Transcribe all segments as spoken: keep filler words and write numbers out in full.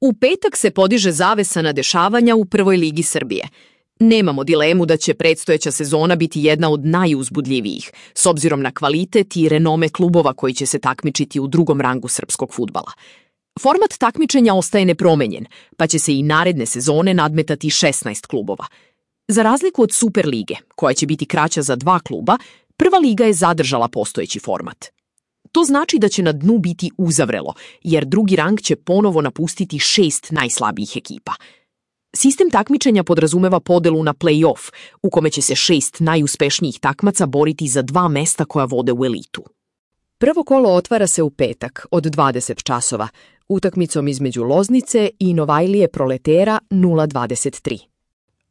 U petak se podiže zavesa na dešavanja u Prvoj ligi Srbije. Nemamo dilemu da će predstojeća sezona biti jedna od najuzbudljivijih, s obzirom na kvalitet i renome klubova koji će se takmičiti u drugom rangu srpskog fudbala. Format takmičenja ostaje nepromenjen, pa će se i naredne sezone nadmetati šesnaest klubova. Za razliku od Super lige, koja će biti kraća za dva kluba, Prva liga je zadržala postojeći format. To znači da će na dnu biti uzavrelo, jer drugi rang će ponovo napustiti šest najslabijih ekipa. Sistem takmičenja podrazumeva podelu na play-off, u kome će se šest najuspešnijih takmaca boriti za dva mesta koja vode u elitu. Prvo kolo otvara se u petak od dvadeset časova, utakmicom između Loznice i Novajlije Proletera nula dvadeset tri.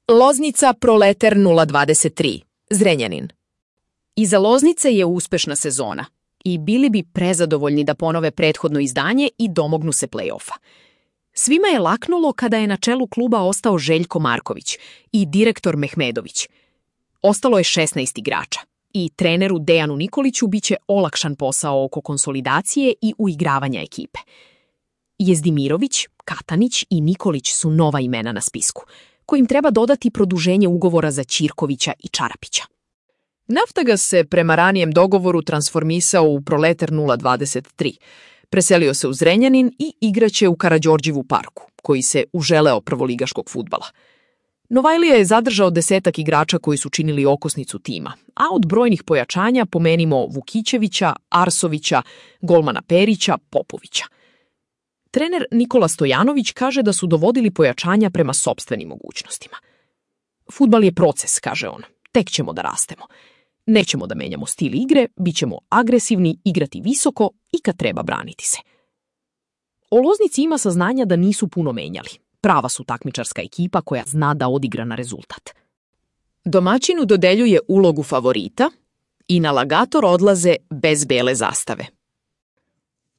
Loznica Proleter nula dvadeset tri, Zrenjanin. Iza Loznice je uspešna sezona i bili bi prezadovoljni da ponove prethodno izdanje i domognu se play-offa. Svima je laknulo kada je na čelu kluba ostao Željko Marković i direktor Mehmedović. Ostalo je šesnaest igrača i treneru Dejanu Nikoliću biće olakšan posao oko konsolidacije i uigravanja ekipe. Jezdimirović, Katanić i Nikolić su nova imena na spisku, kojim treba dodati produženje ugovora za Ćirkovića i Čarapića. Naftagas se prema ranijem dogovoru transformisao u Proleter nula dvadeset tri. Preselio se u Zrenjanin i igraće u Karađorđevu parku, koji se uželeo prvoligaškog fudbala. Novajlija je zadržao desetak igrača koji su činili okosnicu tima, a od brojnih pojačanja pomenimo Vukićevića, Arsovića, golmana Perića, Popovića. Trener Nikola Stojanović kaže da su dovodili pojačanja prema sopstvenim mogućnostima. Fudbal je proces, kaže on, tek ćemo da rastemo. Nećemo da menjamo stil igre, bit ćemo agresivni, igrati visoko i kad treba braniti se. O Loznici ima saznanja da nisu puno menjali. Prava su takmičarska ekipa koja zna da odigra na rezultat. Domaćinu dodeljuje ulogu favorita i na Lagator odlaze bez bele zastave.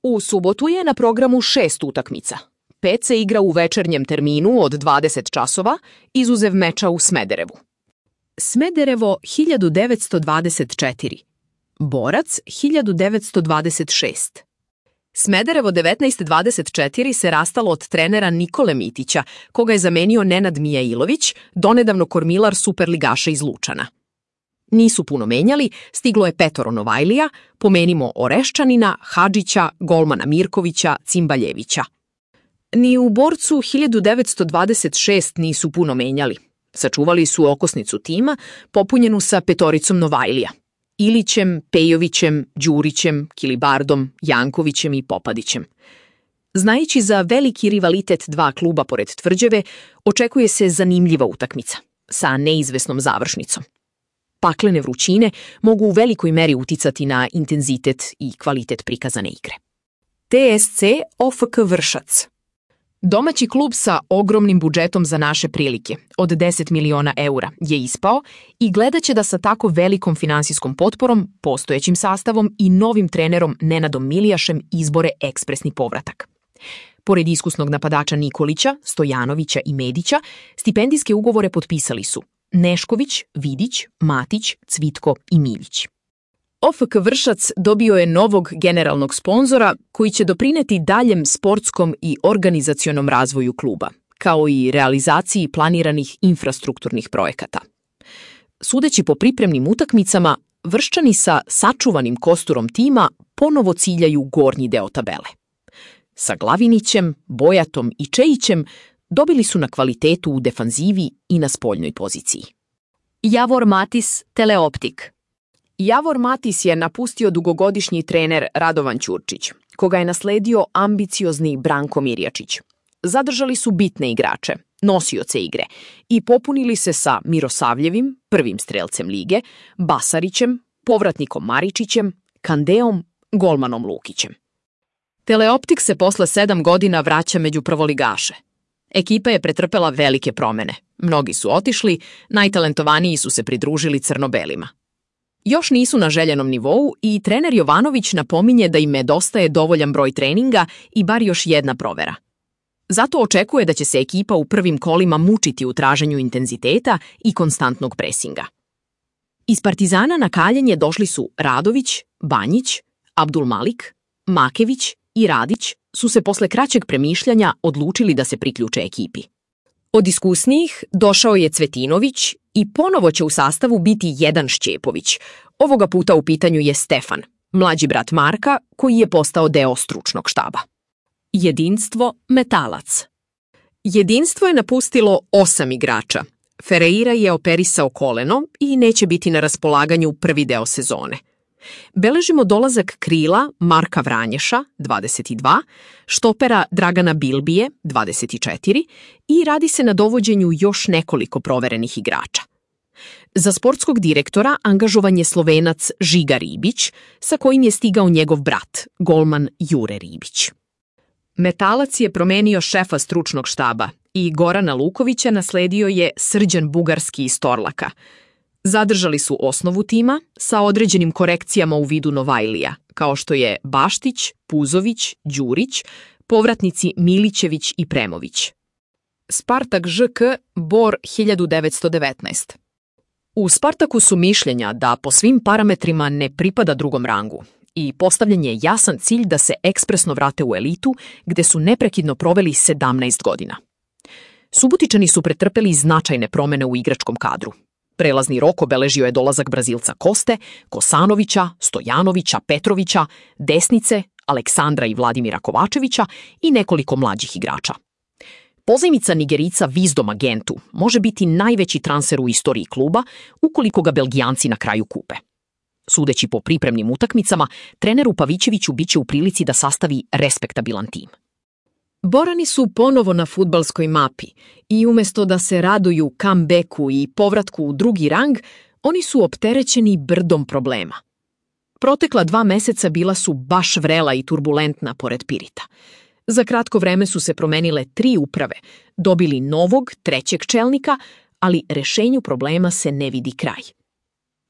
U subotu je na programu šest utakmica. Pet se igra u večernjem terminu od dvadeset časova, izuzev meča u Smederevu. Smederevo hiljadu devetsto dvadeset četiri, Borac hiljadu devetsto dvadeset šest. Smederevo devetnaest dvadeset četiri se rastalo od trenera Nikole Mitića, koga je zamenio Nenad Mijailović, donedavno kormilar superligaša iz Lučana. Nisu puno menjali, stiglo je petoro Novajlija, pomenimo Oreščanina, Hadžića, golmana Mirkovića, Cimbaljevića. Ni u Borcu hiljadu devetsto dvadeset šest nisu puno menjali. Sačuvali su okosnicu tima, popunjenu sa petoricom Novajlija. Ilićem, Pejovićem, Đurićem, Kilibardom, Jankovićem i Popadićem. Znajući za veliki rivalitet dva kluba pored tvrđave, očekuje se zanimljiva utakmica, sa neizvesnom završnicom. Paklene vrućine mogu u velikoj meri uticati na intenzitet i kvalitet prikazane igre. T S C O F K Vršac. Domaći klub sa ogromnim budžetom za naše prilike, od deset miliona eura, je ispao i gledaće da sa tako velikom finansijskom potporom, postojećim sastavom i novim trenerom Nenadom Milijašem izbore ekspresni povratak. Pored iskusnog napadača Nikolića, Stojanovića i Medića, stipendijske ugovore potpisali su Nešković, Vidić, Matić, Cvitko i Miljić. O F K Vršac dobio je novog generalnog sponzora koji će doprineti daljem sportskom i organizacionom razvoju kluba, kao i realizaciji planiranih infrastrukturnih projekata. Sudeći po pripremnim utakmicama, Vrščani sa sačuvanim kosturom tima ponovo ciljaju gornji deo tabele. Sa Glavinićem, Bojatom i Čejićem dobili su na kvalitetu u defanzivi i na spoljnoj poziciji. Javor Matis, Teleoptik. Javor Matis je napustio dugogodišnji trener Radovan Ćurčić, koga je nasledio ambiciozni Branko Mirjačić. Zadržali su bitne igrače, nosioce igre, i popunili se sa Mirosavljevim, prvim strelcem lige, Basarićem, povratnikom Maričićem, Kandeom, golmanom Lukićem. Teleoptik se posle sedam godina vraća među prvoligaše. Ekipa je pretrpela velike promene. Mnogi su otišli, najtalentovaniji su se pridružili crno-belima. Još nisu na željenom nivou i trener Jovanović napominje da im nedostaje dovoljan broj treninga i bar još jedna provera. Zato očekuje da će se ekipa u prvim kolima mučiti u traženju intenziteta i konstantnog presinga. Iz Partizana na kaljenje došli su Radović, Banjić, Abdulmalik, Makević i Radić, su se posle kraćeg premišljanja odlučili da se priključe ekipi. Od iskusnijih došao je Cvetinović i ponovo će u sastavu biti jedan Šćepović. Ovoga puta u pitanju je Stefan, mlađi brat Marka, koji je postao deo stručnog štaba. Jedinstvo Metalac. Jedinstvo je napustilo osam igrača. Ferreira je operisao koleno i neće biti na raspolaganju prvi deo sezone. Beležimo dolazak krila Marka Vranješa, dvadeset dva, štopera Dragana Bilbije, dvadeset četiri, i radi se na dovođenju još nekoliko proverenih igrača. Za sportskog direktora angažovan je Slovenac Žiga Ribić, sa kojim je stigao njegov brat, golman Jure Ribić. Metalac je promenio šefa stručnog štaba i Gorana Lukovića nasledio je Srđan Bugarski iz Torlaka. Zadržali su osnovu tima sa određenim korekcijama u vidu Novajlija, kao što je Baštić, Puzović, Đurić, povratnici Milićević i Premović. Spartak Ž K Bor hiljadu devetsto devetnaest. U Spartaku su mišljenja da po svim parametrima ne pripada drugom rangu i postavljen je jasan cilj da se ekspresno vrate u elitu, gde su neprekidno proveli sedamnaest godina. Subotičani su pretrpeli značajne promene u igračkom kadru. Prelazni rok obeležio je dolazak Brazilca Koste, Kosanovića, Stojanovića, Petrovića, Desnice, Aleksandra i Vladimira Kovačevića i nekoliko mlađih igrača. Pozajmica Nigerica Vizdoma Gentu može biti najveći transfer u istoriji kluba ukoliko ga Belgijanci na kraju kupe. Sudeći po pripremnim utakmicama, treneru Pavićeviću biće u prilici da sastavi respektabilan tim. Borani su ponovo na fudbalskoj mapi i umjesto da se raduju comebacku i povratku u drugi rang, oni su opterećeni brdom problema. Protekla dva meseca bila su baš vrela i turbulentna pored Pirita. Za kratko vreme su se promenile tri uprave, dobili novog, trećeg čelnika, ali rešenju problema se ne vidi kraj.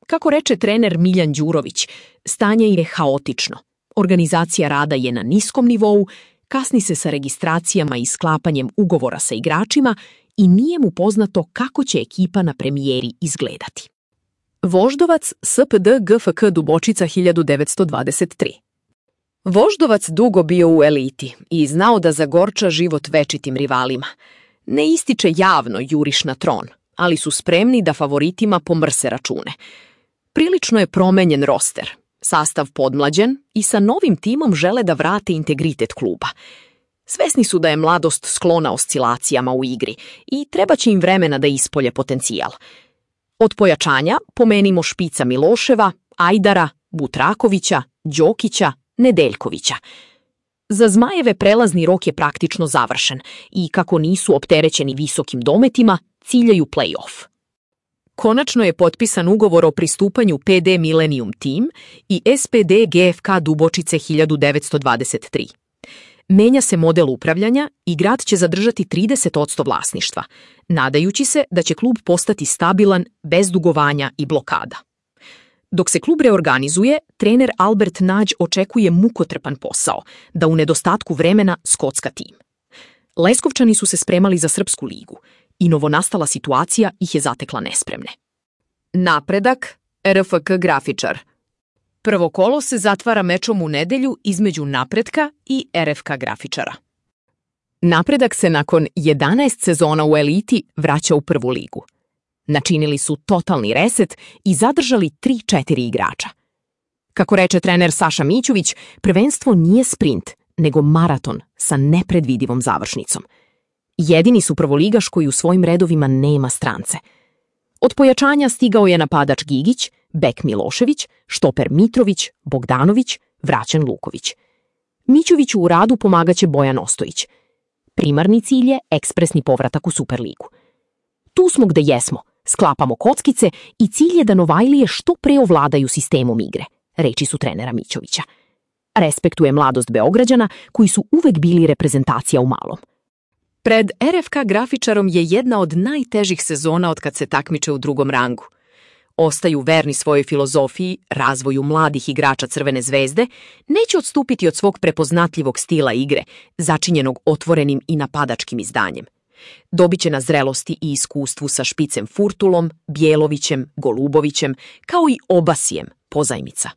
Kako reče trener Miljan Đurović, stanje je haotično. Organizacija rada je na niskom nivou, kasni se sa registracijama i sklapanjem ugovora sa igračima i nije mu poznato kako će ekipa na premijeri izgledati. Voždovac S P D G F K Dubočica hiljadu devetsto dvadeset tri. Voždovac dugo bio u eliti i znao da zagorča život večitim rivalima. Ne ističe javno juriš na tron, ali su spremni da favoritima pomrse račune. Prilično je promenjen roster, sastav podmlađen i sa novim timom žele da vrate integritet kluba. Svesni su da je mladost sklona oscilacijama u igri i treba će im vremena da ispolje potencijal. Od pojačanja pomenimo špica Miloševa, Ajdara, Butrakovića, Đokića, Nedeljkovića. Za Zmajeve prelazni rok je praktično završen i kako nisu opterećeni visokim dometima, ciljaju play-off. Konačno je potpisan ugovor o pristupanju P D Millennium Team i S P D G F K Dubočice hiljadu devetsto dvadeset tri. Menja se model upravljanja i grad će zadržati trideset posto vlasništva, nadajući se da će klub postati stabilan, bez dugovanja i blokada. Dok se klub reorganizuje, trener Albert Nađ očekuje mukotrpan posao, da u nedostatku vremena skocka tim. Leskovčani su se spremali za Srpsku ligu i novonastala situacija ih je zatekla nespremne. Napredak, R F K Grafičar. Prvo kolo se zatvara mečom u nedelju između Napretka i R F K Grafičara. Napredak se nakon jedanaest sezona u eliti vraća u prvu ligu. Načinili su totalni reset i zadržali tri četiri igrača. Kako reče trener Saša Mićović, prvenstvo nije sprint, nego maraton sa nepredvidivom završnicom. Jedini su prvoligaš koji u svojim redovima nema strance. Od pojačanja stigao je napadač Gigić, bek Milošević, štoper Mitrović, Bogdanović, vraćan Luković. Mićoviću u radu pomagaće Bojan Ostojić. Primarni cilj je ekspresni povratak u Superligu. Tu smo gde jesmo, sklapamo kockice i cilj je da Novajlije što pre ovladaju sistemom igre, reči su trenera Mićovića. Respektuje mladost Beograđana koji su uvek bili reprezentacija u malom. Pred R F K Grafičarom je jedna od najtežih sezona od kad se takmiče u drugom rangu. Ostaju verni svojoj filozofiji, razvoju mladih igrača Crvene zvezde, neće odstupiti od svog prepoznatljivog stila igre, začinjenog otvorenim i napadačkim izdanjem. Dobiće na zrelosti i iskustvu sa špicem Furtulom, Bjelovićem, Golubovićem, kao i Obasijem, pozajmica.